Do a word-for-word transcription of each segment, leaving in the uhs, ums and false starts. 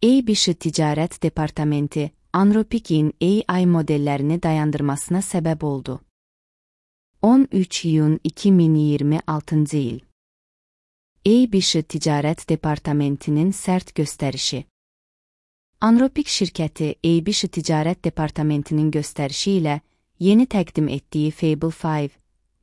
Eybishi Ticarət Departamenti, Anthropic'in A I modellerini dayandırmasına sebep oldu. on üç iyun iki min iyirmi altıncı il. Eybishi Ticarət Departamentinin sərt göstərişi. Anthropic şirkəti Eybishi Ticarət Departamentinin göstərişi ilə yeni təqdim etdiyi Fable beş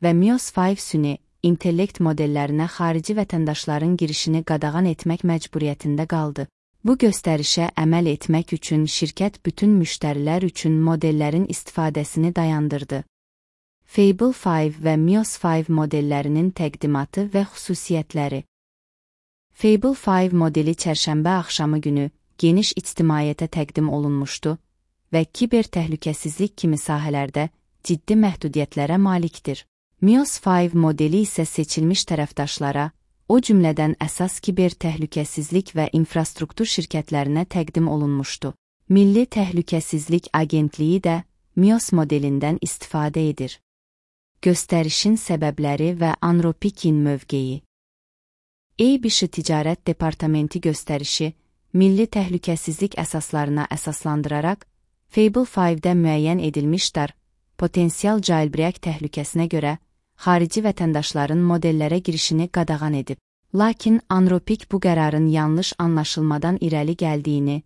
və Mios beş süni intellekt modellərinə xarici vətəndaşların girişini qadağan etmək məcburiyyətində qaldı. Bu göstərişə əməl etmək üçün şirkət bütün müştərilər üçün modellərin istifadəsini dayandırdı. Fable beş və Mios beş modellərinin təqdimatı və xüsusiyyətləri. Fable beş modeli çərşənbə axşamı günü geniş ictimaiyyətə təqdim olunmuşdu və kiber təhlükəsizlik kimi sahələrdə ciddi məhdudiyyətlərə malikdir. Mios beş modeli isə seçilmiş tərəfdaşlara, o cümlədən əsas kiber təhlükəsizlik və infrastruktur şirkətlərinə təqdim olunmuşdu. Milli Təhlükəsizlik Agentliyi də Mios modelindən istifadə edir. Göstərişin səbəbləri və Anthropic'in mövqeyi. Eybishi Ticarət Departamenti göstərişi, milli təhlükəsizlik əsaslarına əsaslandıraraq, Fable beşdə müəyyən edilmiş dar, potensial jailbreak təhlükəsinə görə, xarici vətəndaşların modellərə girişini qadağan edib. Lakin Anthropic bu qərarın yanlış anlaşılmadan irəli gəldiyini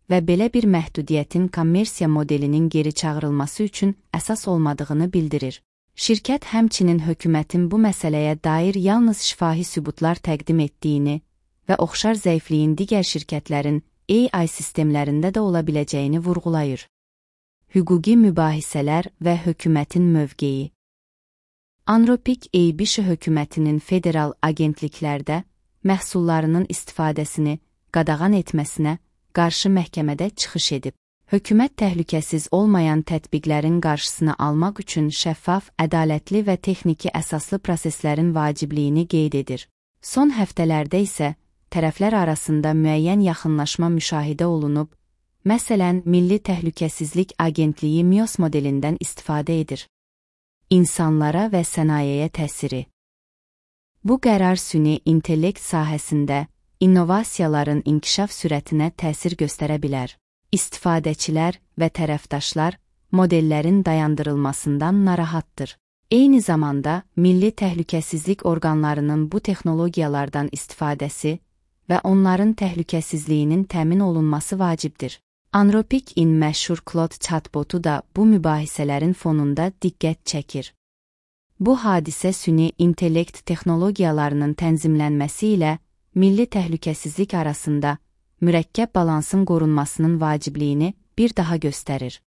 və belə bir məhdudiyyətin kommersiya modelinin geri çağırılması üçün əsas olmadığını bildirir. Şirkət həmçinin hökumətin bu məsələyə dair yalnız şifahi sübutlar təqdim etdiyini və oxşar zəifliyin digər şirkətlərin A I sistemlərində də ola biləcəyini vurğulayır. Hüquqi mübahisələr və hökumətin mövqeyi. Anthropic Eybishi hökumətinin federal agentliklərdə məhsullarının istifadəsini qadağan etməsinə qarşı məhkəmədə çıxış edib. Hökumət təhlükəsiz olmayan tətbiqlərin qarşısını almaq üçün şəffaf, ədalətli və texniki əsaslı proseslərin vacibliyini qeyd edir. Son həftələrdə isə tərəflər arasında müəyyən yaxınlaşma müşahidə olunub, məsələn, Milli Təhlükəsizlik Agentliyi Mios modelindən istifadə edir. İnsanlara və sənayeyə təsiri. Bu qərar süni intellekt sahəsində innovasiyaların inkişaf sürətinə təsir göstərə bilər. İstifadəçilər və tərəfdaşlar modellərin dayandırılmasından narahatdır. Eyni zamanda, milli təhlükəsizlik orqanlarının bu texnologiyalardan istifadəsi və onların təhlükəsizliyinin təmin olunması vacibdir. Anthropic'in məşhur Claude chatbotu da bu mübahisələrin fonunda diqqət çəkir. Bu hadisə süni intellekt texnologiyalarının tənzimlənməsi ilə milli təhlükəsizlik arasında mürəkkəb balansın qorunmasının vacibliyini bir daha göstərir.